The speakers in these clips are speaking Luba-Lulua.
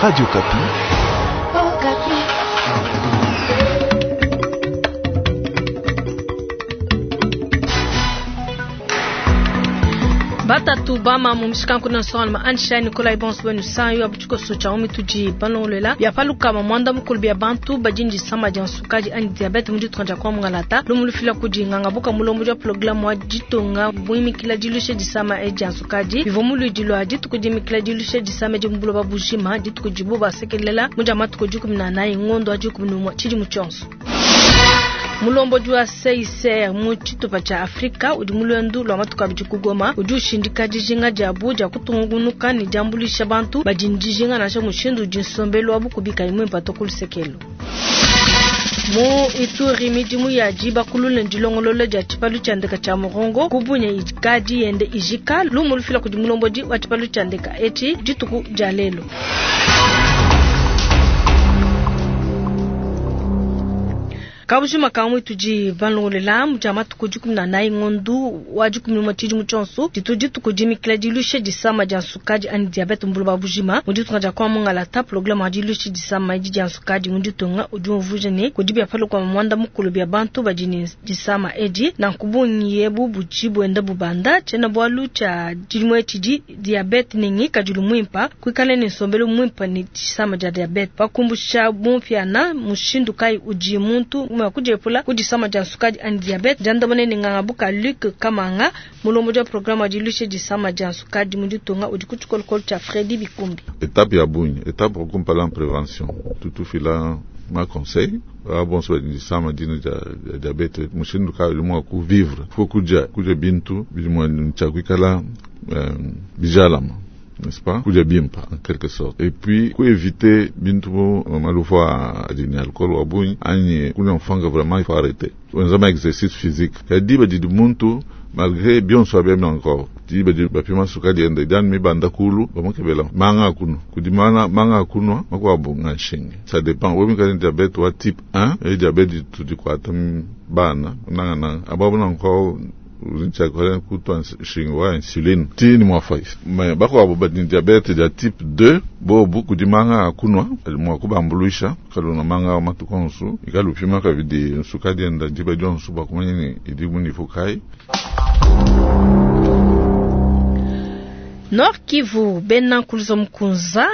Radio Okapi. Batatu bama mu mishikanku na nsongaluma Ansha Nikolai bonso benu sanyo abutshikoso tshia mitudi balongolola bia palukama mwanda mukulu bia bantu badi ndisama dia nsukadi anyi diabete mu ditunga dia kwa mungalata lumu lufila kudi nganga buka mulombo dia programme wa ditunga buimikila dilusha disama edi dia nsukadi bivua mu luidi lua dituku dimikila dilusha disama edi mu buloba bujima dituku dibu basekelela mu dia matuku 14 ngondo wa 11 tshidimu tshionso. Mulombodi wa CICR mu tshitupa tshia Afrika udi mu luendu lua matuku abidi ku Goma udi ushindika dijinga diabu dia kutungunuka ne diambuluisha bantu badi ne dijinga nansha mushindu udi nsombelu wa bukubi kayi muimpe to ku lusekelu. Mu Ituri midimu ya dibakulula ne dilongolola dia tshipalu tshia ndeka tshia Murongo ku Bunia ikadi yende ijika lumu lufila kudi mulombodi wa tshipalu tshia ndeka etshi dituku dia lelu. Kabujima kamwe tudi balongolela mu dia matuku 14 ngondu wa 11 tshidimu tshionso ditu dituku dimikila dilusha disama dia nsukadi anyi diabete mu buloba bujima mu ditunga dia kwa mungalata programme wa dilusha disama edi dia nsukadi mu ditunga udi umvuija ne kudi bia palukua mwanda mukulu bia bantu badi ne disama edi nanku bungi ebu budi buenda bubanda tshiena bualu tshia tshidimu etshi diabete ne ngikadilu muimpa kuikala ne nsombelu muimpa ne disama dia diabete pakumbusha bumpiana mushindu kayi udi muntu mua kudiepula ku disama dia nsukadi anyi diabete diandamuna ne nganga buka Luc Kamanga mulombodi wa programme wa dilusha disama dia nsukadi mu ditunga udi ku tshikolokolo tshia Fredy Bikumbi. Etape ya bungi etape okumpala en prévention tutufila ma conseil bonso badi disama dina dia diabete mushindu kayi udi mua kuvivre fo kudia kudia bintu bidi mua tshia kuikala bijalama, n'est-ce pas, kudia bimpa en quelque sorte, et puis ku éviter bintu malufu adi ne alcool wa bungi anyi kunywa mfanga, vraiment il faut arrêter. Wenza ma exercice physique kadi badi muntu malgré bionso abiami encore di badi bapima sukadi ende diani mibanda kulu bamukebela manga akunwa kudi mana manga akunwa makuabu nga nshinge ça dépend wewe mikali diabète wa type 1 et diabète tudikwata bana nanga nanga ababu nanko uzintsha kutwa nshinge wa insuline tini mwa 5 mais bakuabu badi diabète dia type 2 bobu kudi manga akunwa mwa kubambuluisha kaluna manga matuku onso ikalupima kabidi nsukadi enda diba dionso bakumanya ni idi mu niveau kai. Nord Kivu bena nkuluza mukunza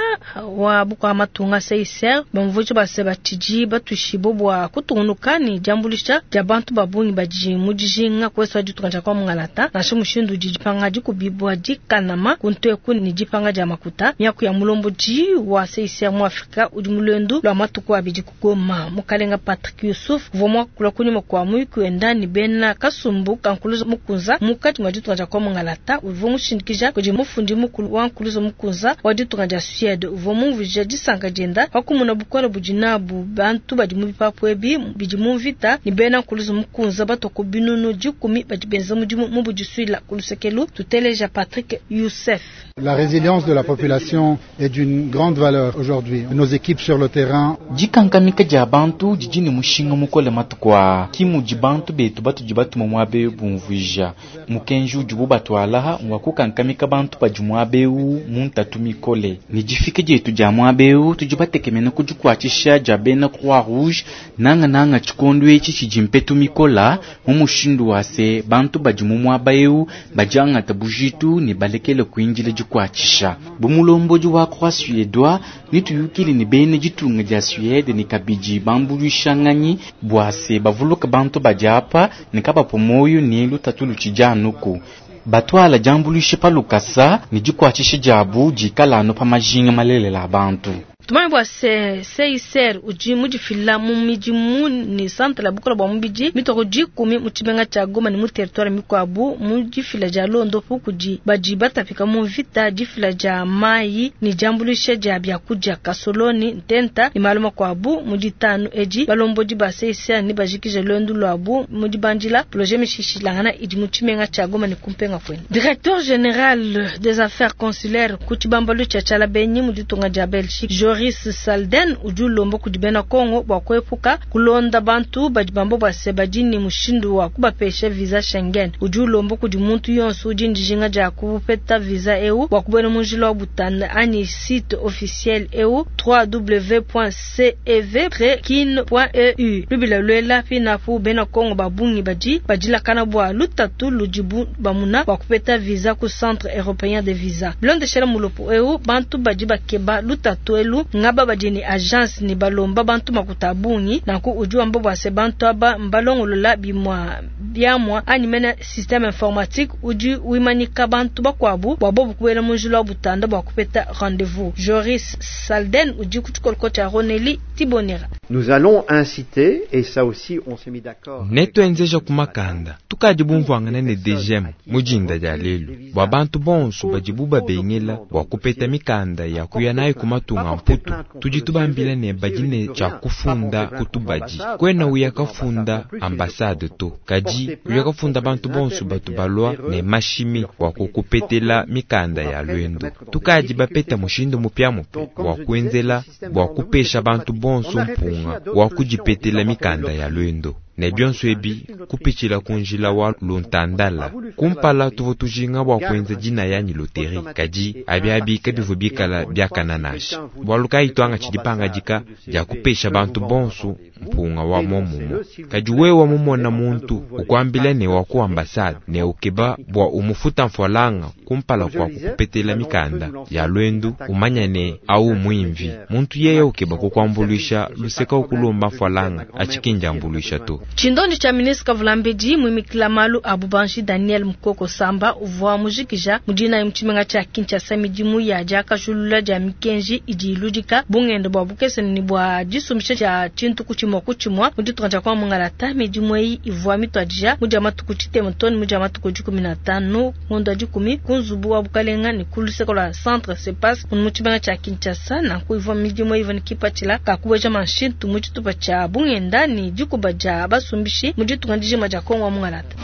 wa bukwa matunga CICR bamvuji base batshidi batushibo bua kutungunuka ne diambuluisha dia bantu ba bungi badi mu dijinga kuesu ditunga dia kwa mungalata nansha mushindu udi dipanga dikubibua dikanama kunteku ne dipanga dia makuta miaku ya mulombodi wa CICR mu Afrika udi mu luendu lua matuku abidi ku Goma. Mukalenga Patrick Yusuf uvua muakula kunyima kua muyuki wenda ne bena kasumbu ka nkuluza mukunza mukati mua ditunga dia kwa mungalata uvua mushindikija kudi mufundi mukulu wa nkuluza mukunza wa ditunga dia Suède uvua mumvuija disanka dienda pakumuna bukole budi nabu bantu badi mu bipapu ebi bidi mu mvita ne bena nkuluza mukunza batoko binunu 10 badi benza mudimu mu budisuila ku lusekelu. Tuteleja Patrick Youssef. La résilience de la population est d'une grande valeur aujourd'hui. Nos équipes sur le terrain. Dikankamika dia bantu didi ne mushinga mukole matuku aa ki mudi bantu betu batudi batuma muaba bumvuija mukenji udibu batwalaha ngwa kukankamika bantu badi muaba eu mu ntatu mikole ne difika dietu dia muaba eu tudi batekemena ku dikuatshisha dia bena Croix Rouge nanga nanga tshikondo etshi tshidi mpetu mikola mu mushindu wa se bantu badi mu muaba eu badiangata bujitu ne balekele kuindila dikuatshisha. Bu mulombodi wa Croix Suédois ne tuyukile ne bena ditunga dia Suède ne kabidi bambuluishanganyi bua se bavuluka bantu badi apa ne kabapu moyo ne lutatu lutshidi anuku batwala diambuluisha pa lukasa ne dikuatshisha diabu dikala anu pa majinga malelela a bantu. Tumanye bua se CICR udi mudifila mu midimu ne centre la bukola bua mubidi mitoko 10 mu tshimenga tshia Goma ne mu territoire mikuabu mu difila dia londopu kudi badi batapika mu mvita, difila dia mayi ne diambuluisha dia biakudia kasoloni ntenta ne malu makuabu. Mu ditanu edi balombodi ba CICR ne bajikije luendu luabu mu dibandila projet mishishilangana idi mu tshimenga tshia Goma ne kumpenga kwenu. Directeur général des affaires consulaires ku tshibambalu tshia Tshialabenyi mu ditunga dia Belgique Joris Salden udi ulomba kudi bena Kongo bua kuepuka kulonda bantu badi bamba bua se badi ne mushindu wa kubapesha visa Schengen. Udi ulomba kudi muntu yonso udi ne dijinga dia kupeta visa eu bua kubuela mu njila wa butanda anyi site officiel eu www.cev-kin.eu. Lubila luela pinapu bena Kongo ba bungi badi badilakana bua lutatu ludibu bamuna bua kupeta visa ku Centre européen de visa. Bilondeshela mulopo eu, bantu badi bakeba lutatu elu ngaba badi ne agence ne balomba bantu makuta a bungi. Nanku udi wamba bua se bantu aba mbalongolola bimua biamua anyi mene système informatique udi wimanyika bantu bakuabu bua bobu kubuela mu njila wa butanda bua kupeta rendez-vous. Joris Salden udi ku tshikoloko tshia Roneli Tibonera. Nous allons inciter, et ça aussi on s'est mis d'accord. Netwenzeja ku makanda tukadi bumvuangana ne DGM mu dinda dia lelu bua bantu bonso badibu babengela bua kupeta mikanda ya kuya nayo ku matunga mputu. Tudi tubambila ne badi ne tshia kufunda ku tubadi kwena uya kafunda ambassade to, kadi uya kafunda bantu bonso batu balua ne mashimi bua kukupetela mikanda ya lwendo. Tukadi bapeta mushindu mupiamupia wa kuenzela bua kupesha bantu bonso mpunga wa kudipetela mikanda ya lwendo ne bionso ebi kupitshila ku njila wa luntandala. Kumpala tuvua tujinga bua kuenza dina yanyi loterie, kadi abi abi kabivua bikala biakana nansha. Bualu kayi twanga tshidi pangadika dia kupesha bantu bonso mpunga wa momumue. Kadi wewe mumona muntu ukuambila ne wa ku ambassade ne ukeba bua umufuta mfualanga kumpala kwa kukupetela mikanda ya lwendu, umanya ne au mwimvi muntu yeye ukeba kukuambuluisha luseka ukulomba mfualanga achikinja ambuluisha to. Tshindondi tshia ministre Kavulambedi muimikila malu a bubanji Daniel Mukoko Samba uvua mujikija mudina mu tshimenga tshia Kinshasa midimu ya diakajulula dia mikenji idi iludika bungenda bua bukese ne bua disumbisha dia tshintu ku tshimua ku tshimua mu ditunga dia kwa Mungalata. Midimu eyi ivua mituadija mu dia matuku tshitema too ne mu dia matuku 15 ngondo wa 10 ku nzubu wa bukalenga ne ku luseke lua centre Sepas mu tshimenga tshia Kinshasa. Nanku ivua midimu eyi ivua ne kipatshila ka kubueja manshintu mu tshitupa tshia bungenda ne dikuba dia basumbishi mu ditunga dijima dia Kongo wa Mungalata.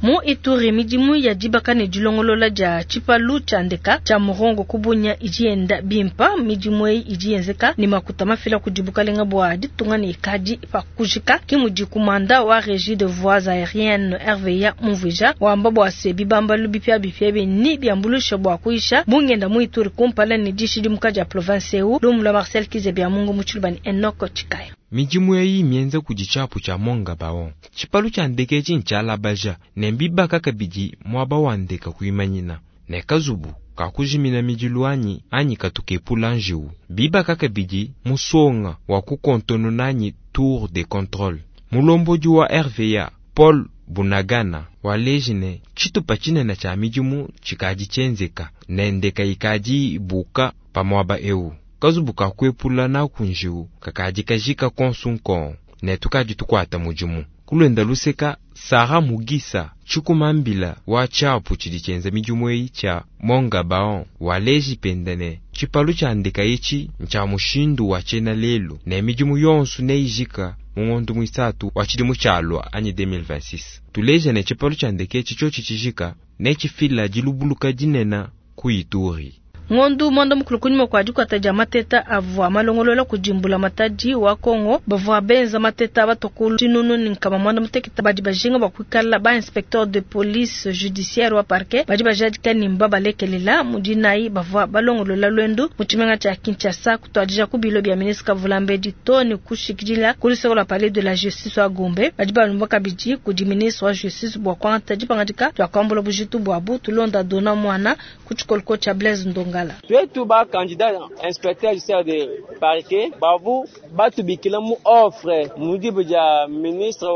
Mu Ituri, midimu ya dibaka ne dilongolola dia tshipalu tshia ndeka tshia Murongo ku Bunia idi yenda bimpa. Midimu eyi idi yenzeka ne makuta mafila kudi bukalenga bua ditunga ne ikadi pa kujika. Ke mudi kumanda wa Régie de voies aériennes RVA mumvuija wamba bua se bibambalu bipiabipia ebi ni biambuluisha bua kuyisha bungenda mu Ituri kumpala ne dishidimuka dia province eu. Lumu lua Marcel Kizebia Mungu mu Tshiluba ne Enoch Tshikaya. Midimu eyi mienza kudi tshiapu tshia Monga Baon. Tshipalu tshia ndeke etshi ntshialabaja ne mbibaka kabidi muaba wa ndeka kuimanyina ne kazubu kakujimina midilu anyi anyi katukepula njiwu. Bibaka kabidi musonga wa kukontonona anyi tour de contrôle. Mulombodi wa RVA Paul Bunagana waleji ne tshitupa tshinene tshia midimu tshikadi tshienzeka ne ndeka ikadi ibuka pa muaba eu. Kazubu kakuepula naku njiwu kakadi kajika konsu nkon ne tukadi tukuata mudimu. Kulwenda luseka Sara Mugisa tshikumambila wa tshiapu tshidi tshienza midimu eyi tshia Monga Baon waleji penda ne tshipalu tshia ndeka etshi ntshia mushindu wa tshiena lelu ne midimu yonso neijika mu ngondo muisatu wa tshidimu tshialua anyi 2026. Tuleja ne tshipalu tshia ndeka etshi tshiotshi tshijika ne tshifila dilubuluka dinene ku Ituri. Ngondu mwanda mukulu kunyima kwa dikuata dia mateta avua malongolola kudimbula matadi wa Kongo bavua benza mateta batokulu tshinunu ne nkama mwanda mutekete badi bajinga bua kuikala ba inspecteur de police judiciaire wa parquet badi bajadika ne mbabalekelela mu dinayi bavua balongolola lwendu mu tshimenga tshia Kinshasa kutuadija ku bilo bia ministre Kavulambedi to ne kushikidila ku luseke lua palais de la justice wa Gombe. Badi balomba kabidi kudi ministre wa justice bua kuangata dipangadika dia kuambula bujitu buabu. Tulonda Dona Mwana ku tshikoloko tshia Blaise Ndonga. Twetu ba candidat inspecteur judiciaire de parquet bavu batubikila mu offre mudibu dia ministre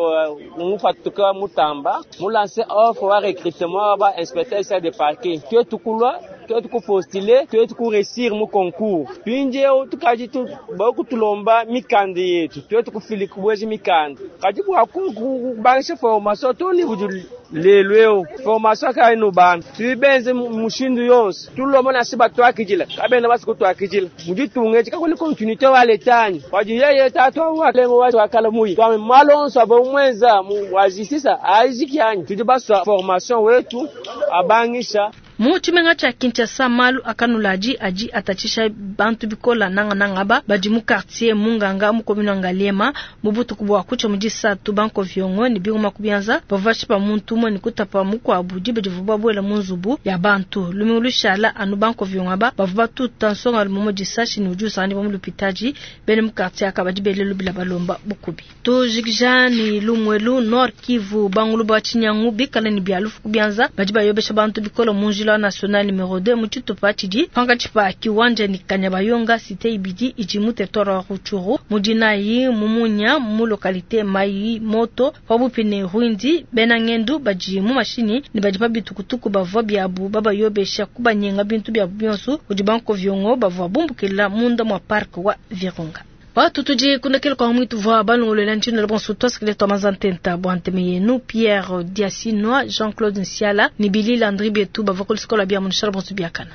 mupatuka mutamba mu lancer offre wa recrutement ba inspecteur judiciaire de parquet. Twetu kulwa, twetu kupostuler, twetu kuréussir mu concours. Pinjeo tukaji tu bakutulomba mikanda yetu, twetu kufili kubwezi mikanda. Kadi bua kubangisha formation to ni budu lelu eo formation kai no bana. Tuibenze mushindu yonso. Tulomba na siba twakijila. Kabena basi kutwakijila. Muditunge chikakuli continuité wa letani. Waji yeye tatu wa lengo wa wakala muyi. Kwa malonso abo mwenza mu wajisisa ajikianyi. Tudi baswa formation wetu abangisha. Mu tshimenga tshia Kinshasa, malu a kanuladi adi atatshisha bantu bikola, nangananga aba badi mu quartier Munganga mu commune wa Ngaliema. Mu butuku bua kutshia mu disatu, bankoviongo ne bingoma ku bianza bavua bashipa muntu umue ne kutapa mukuabu diba divuabu babuela mu nzubu ya bantu. Lumingu lushala anu bankoviongo aba bavua batuta nsongalume umue disashi ne udi usanganyibua mu lupitadi. Bena mu quartier aka badi bele lubila balomba bukubi. Tujikija ne lumu elu, Nord Kivu, bangulu ba tshinyangu bikale ne bia lufu ku bianza badi bayobesha bantu bikole mu njila wa national numero 2 mu tshitupa tshidi pankatshi pa Kiwanja ne Kanyabayonga, cite ibidi idi mu territoire wa Rutshuru. Mu dinayi mu munya mu localite Mayi Moto pabuipi ne Rwindi, bena ngendu badi mu mashinyi ne badi pa bitukutuku bavua biabu babayobesha kubanyenga bintu biabu bionso kudi bankoviongo bavua bumbukila munda mua parc wa Virunga. Batu tudi kundekela kwa mwitu vwa balongolola ntshino la bonso tuasikile twa mazantenta bua nteme yenu Pierre Diasinwa, Jean-Claude Nsiala ne Billy Landry betu bavua ku lusikola bia munishala bonso biakana.